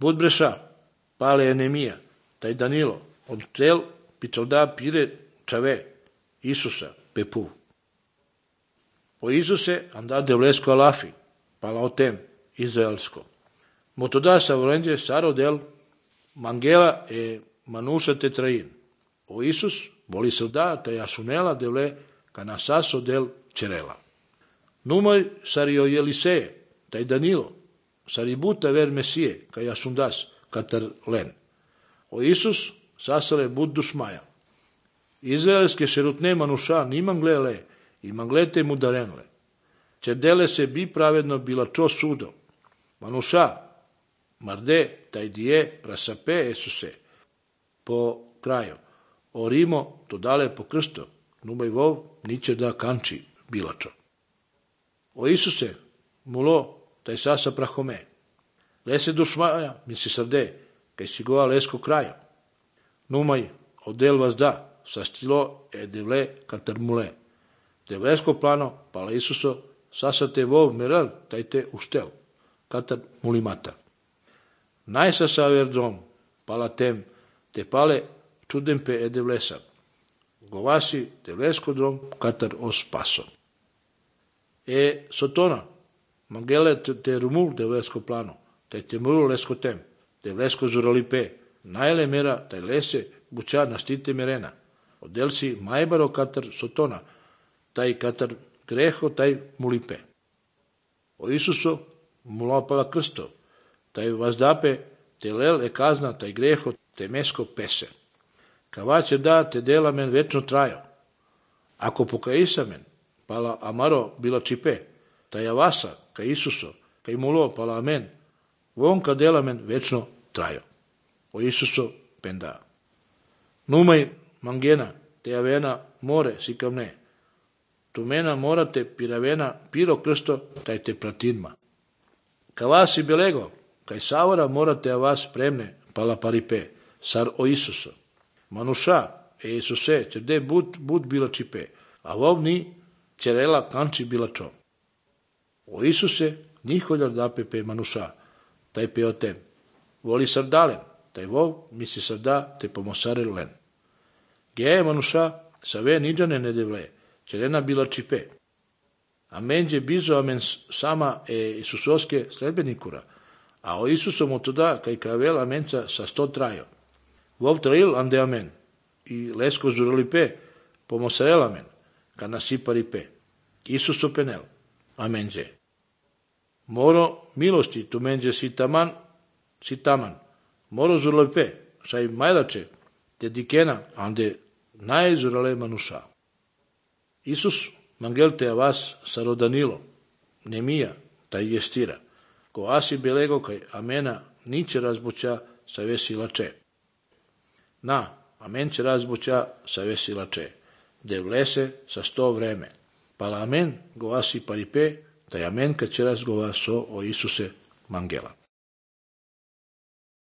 Budbreša, pale Enemija, taj Danilo, od tel pičalda pire čave, Isusa, pepu. O Isuse anda devlesko alafi, pala o tem, izraelsko. Motoda sa volenđe saro del Mangela e Manusa tetrain. O Isus voli srda taj asunela devle kanasaso del Cerela. Numoj sario Jeliseje, taj Danilo, saributa ver Mesije, kaj asundas, katar len. O Isus sasale bud dušmaja. Izraelske šerutne manuša niman glele i manglete mu darenle. Čerdele se bi pravedno bila čo sudo. Manuša, marde, taj dije, prasape Esuse. Po kraju. O Rimo, to dale po krsto. Numaj vov, niće da kanči bilačo. O Isuse, mulo, taj sasa prahome. Lese dušmaja, misli srde, kaj si goa lesko kraja. Numaj, odel vas da, sa stilo e devle katar mule. Devlesko plano, pala Isuso, sasa te vov meral, taj te ustel, katar mulimata. Najsa sa verdrom, pala tem, te pale čudempe e devlesa. Govasi devlesko drom, katar os paso. E sotona, mangele te rumul devlesko plano, taj te muru lesko tem, devlesko zuralipe, najle mera, taj lese, buća nastite merena. Odel si majbaro katar sotona, taj katar greho, taj mulipe. O Isuso mulopala krsto, taj vazdape, te lel e kazna, taj greho, te mesko pese. Kavaće da te dela men večno trajo. Ako pokaisa men, pala amaro bila čipe, taj avasa, ka Isuso, kaj mulo pala amen, vonka dela men večno trajo. O Isuso penda. Numaj mangena, te avena more sikamne. Tu mena morate piravena piro krsto, taj te pratinma. Kavasi belego, kaj savara morate avas premne, pala paripe, sar o Isuso. Manuša, e Isuse, čerde bud bila čipe, a vovni Cerela kanči bila čo. O Isuse, niholjar dape pe manuša, taj pe o tem. Voli sardalen, taj vov misli sarda te pomosare len. Geje manuša, save niđane ne devle, Cerena bila čipe. A menđe bizo amen sama e Isusoske sledbenikura, a o Isusom otoda kaj kavel amenca sa 100 trajo. Vov trail ande amen, i lesko zuralipe, pomosarel amen, ka nasiparipe. Isuso penel, amenđe. Moro milosti tu menđe si taman, moro zuralipe, saj majlače, te dikena, ande najzurale manuša. Isus mangelte a vas sarodanilo, Nemija, taj jestira, ko asi belego kaj amena niće razbuća sa vesilače. Na, amen će razbuća sa vesilače, de vlese sa 100 vreme. Pala amen go asi paripe, taj amen kad će razgova so o Isuse mangela.